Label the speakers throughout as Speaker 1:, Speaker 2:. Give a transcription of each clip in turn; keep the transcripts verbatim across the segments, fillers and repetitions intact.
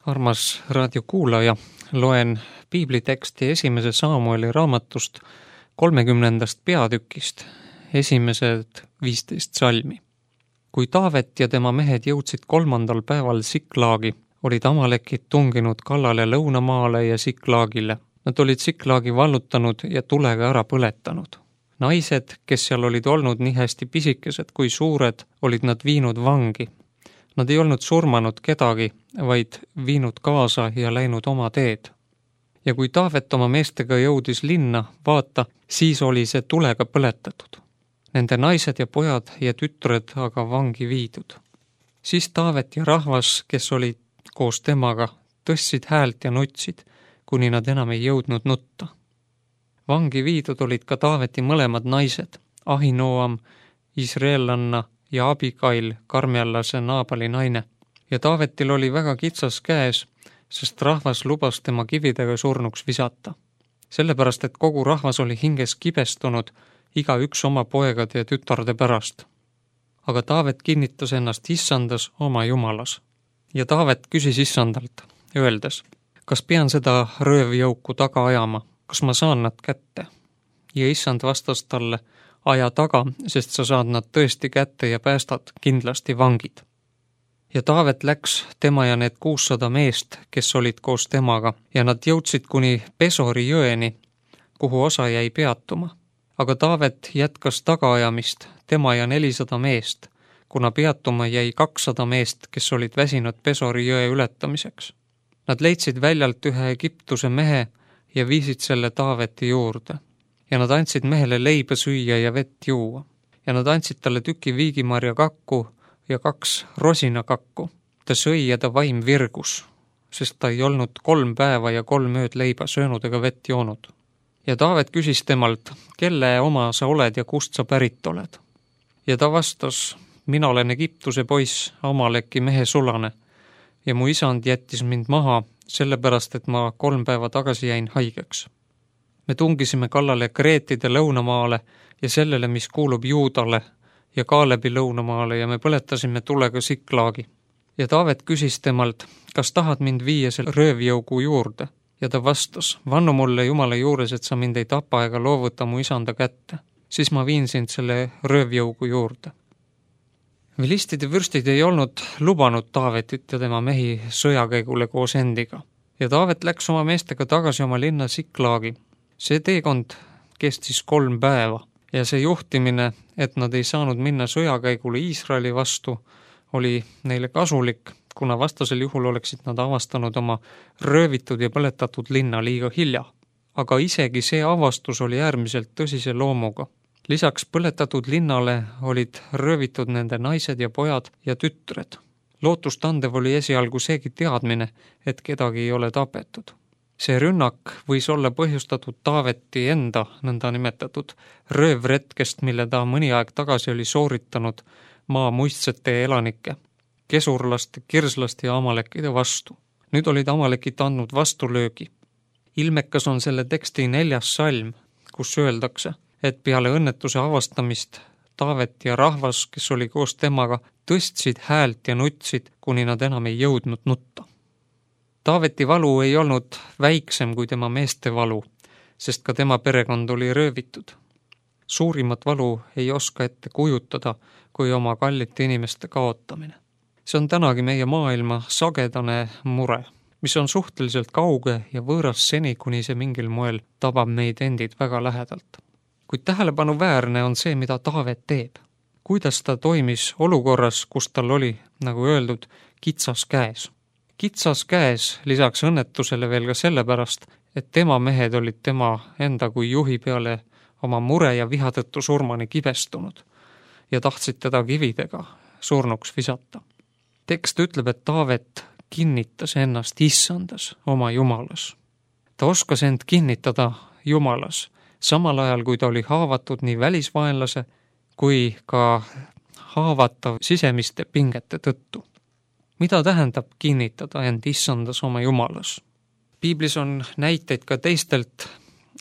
Speaker 1: Armas raadiokuulaja, loen piibliteksti esimese Saamueli raamatust kolmekümnendast peatükist, esimesed viisteist salmi. Kui Taavet ja tema mehed jõudsid kolmandal päeval Siklaagi, olid amalekid tunginud kallale lõunamaale ja Siklaagile. Nad olid Siklaagi vallutanud ja tulega ära põletanud. Naised, kes seal olid olnud nii hästi pisikesed kui suured, olid nad viinud vangi. Nad ei olnud surmanud kedagi, vaid viinud kaasa ja läinud oma teed. Ja kui Taavet oma meestega jõudis linna, vaata, siis oli see tulega põletatud. Nende naised ja pojad ja tütred aga vangi viidud. Siis Taavet ja rahvas, kes olid koos temaga, tõstsid häält ja nutsid, kuni nad enam ei jõudnud nutta. Vangi viidud olid ka Taaveti mõlemad naised, Ahinoam, Israelanna ja Abigail, karmjallase Naabali naine. Ja Taavetil oli väga kitsas käes, sest rahvas lubas tema kividega surnuks visata. Sellepärast, et kogu rahvas oli hinges kibestunud, iga üks oma poegade ja tütarde pärast. Aga Taavet kinnitas ennast issandas oma jumalas. Ja Taavet küsis issandalt, öeldes, kas pean seda röövjõuku taga ajama, kas ma saan nad kätte? Ja issand vastas talle, aja taga, sest sa saad nad tõesti kätte ja päästad kindlasti vangid. Ja Taavet läks tema ja need kuussada meest, kes olid koos temaga, ja nad jõudsid kuni Pesori jõeni, kuhu osa jäi peatuma. Aga Taavet jätkas tagaajamist, tema ja nelisada meest, kuna peatuma jäi kakssada meest, kes olid väsinud Pesori jõe ületamiseks. Nad leidsid väljalt ühe Egiptuse mehe ja viisid selle Taaveti juurde. Ja nad andsid mehele leiba süüa ja vett juua. Ja nad andsid talle tüki viigimarja kakku ja kaks rosina kakku. Ta sõi ja ta vaim virgus, sest ta ei olnud kolm päeva ja kolm ööd leiba söönud ega vett joonud. Ja Taavet küsis temalt, kelle oma sa oled ja kust sa pärit oled. Ja ta vastas, mina olen Egiptuse poiss, Amaleki mehe sulane, ja mu isand jättis mind maha, sellepärast, et ma kolm päeva tagasi jäin haigeks. Me tungisime kallale Kreetide lõunamaale ja sellele, mis kuulub Juudale ja Kaalebi lõunamaale ja me põletasime tulega Siklaagi. Ja Taavet küsis temalt, kas tahad mind viia selle röövjõugu juurde? Ja ta vastas, vannu mulle Jumala juures, et sa mind ei tapa ega loovuta mu isanda kätte. Siis ma viin sind selle röövjõugu juurde. Vilistide vürstid ei olnud lubanud Taavetit ja tema mehi sõjakäigule koos endiga. Ja Taavet läks oma meestega tagasi oma linna Siklaagi. See teekond kestis kolm päeva ja see juhtimine, et nad ei saanud minna sõjakäigule Iisraeli vastu, oli neile kasulik, kuna vastasel juhul oleksid nad avastanud oma röövitud ja põletatud linna liiga hilja. Aga isegi see avastus oli äärmiselt tõsise loomuga. Lisaks põletatud linnale olid röövitud nende naised ja pojad ja tütred. Lootustandev oli esialgu seegi teadmine, et kedagi ei ole tapetud. See rünnak võis olla põhjustatud Taaveti enda nõnda nimetatud röövretkest, mille ta mõni aeg tagasi oli sooritanud maa muistsete elanike, kesurlaste, kirslaste ja amalekide vastu. Nüüd olid amalekid andnud vastulöögi. Ilmekas on selle teksti neljas salm, kus öeldakse, et peale õnnetuse avastamist Taavet ja rahvas, kes oli koos temaga, tõstsid häält ja nutsid, kuni nad enam ei jõudnud nutta. Taaveti valu ei olnud väiksem kui tema meeste valu, sest ka tema perekond oli röövitud. Suurimat valu ei oska ette kujutada, kui oma kallite inimeste kaotamine. See on tänagi meie maailma sagedane mure, mis on suhteliselt kauge ja võõras seni, kuni see mingil moel tabab meid endid väga lähedalt. Kuid tähelepanuväärne on see, mida Taavet teeb. Kuidas ta toimis olukorras, kus tal oli, nagu öeldud, kitsas käes. Kitsas käes lisaks õnnetusele veel ka sellepärast, et tema mehed olid tema enda kui juhi peale oma mure ja viha tõttu surmani kibestunud ja tahtsid teda kividega surnuks visata. Tekst ütleb, et Taavet kinnitas ennast issandas oma jumalas. Ta oskas end kinnitada jumalas, samal ajal kui ta oli haavatud nii välisvaenlase kui ka haavatav sisemiste pingete tõttu. Mida tähendab kinnitada end issandas oma jumalas? Piiblis on näiteid ka teistelt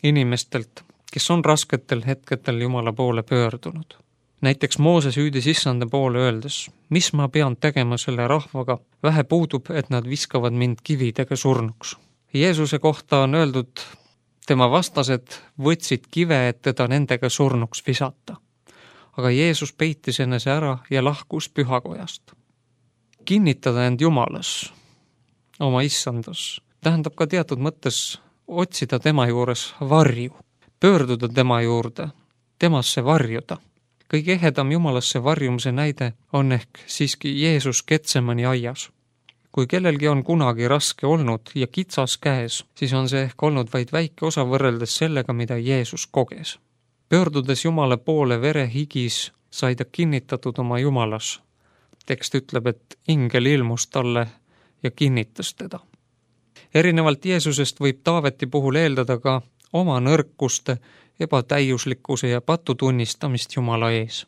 Speaker 1: inimestelt, kes on rasketel hetketel Jumala poole pöördunud. näiteks Mooses hüüdis issanda poole öeldes, mis ma pean tegema selle rahvaga, vähe puudub, et nad viskavad mind kividega surnuks. Jeesuse kohta on öeldud, tema vastased võtsid kive, et teda nendega surnuks visata. Aga Jeesus peitis enese ära ja lahkus pühakojast. Kinnitada end Jumalas, oma issandas, tähendab ka teatud mõttes otsida tema juures varju, pöörduda tema juurde, temasse varjuda. Kõige ehedam Jumalasse varjumise näide on ehk siiski Jeesus Getsemani aias. Kui kellelgi on kunagi raske olnud ja kitsas käes, siis on see ehk olnud vaid väike osa võrreldes sellega, mida Jeesus koges. Pöördudes Jumala poole vere higis, sai ta kinnitatud oma Jumalas. Tekst ütleb, et ingel ilmus talle ja kinnitas teda. Erinevalt Jeesusest võib Taaveti puhul eeldada ka oma nõrkuste, ebatäiuslikkuse ja patu tunnistamist Jumala ees.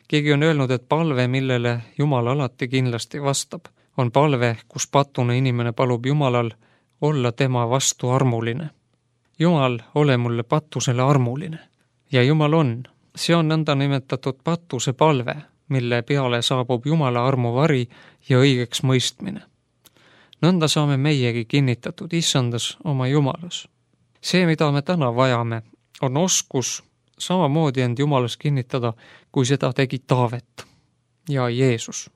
Speaker 1: Keegi on öelnud, et palve, millele Jumal alati kindlasti vastab, on palve, kus patune inimene palub Jumalal olla tema vastu armuline. Jumal, ole mulle patusele armuline. Ja Jumal on. See on nõnda nimetatud patuse palve, mille peale saabub Jumala armuvari ja õigeks mõistmine. Nõnda saame meiegi kinnitatud issandas oma Jumalas. See, mida me täna vajame, on oskus samamoodi end Jumalas kinnitada, kui seda tegi Taavet ja Jeesus.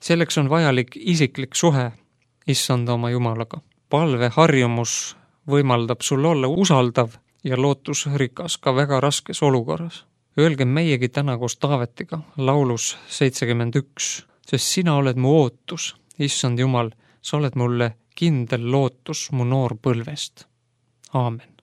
Speaker 1: Selleks on vajalik isiklik suhe issanda oma Jumalaga. Palve harjumus võimaldab sul olla usaldav ja lootusrikas ka väga raskes olukorras. Öelge meiegi täna koos Taavetiga laulus seitsekümmend üks, sest sina oled mu ootus, issand Jumal, sa oled mulle kindel lootus mu noorpõlvest. Aamen.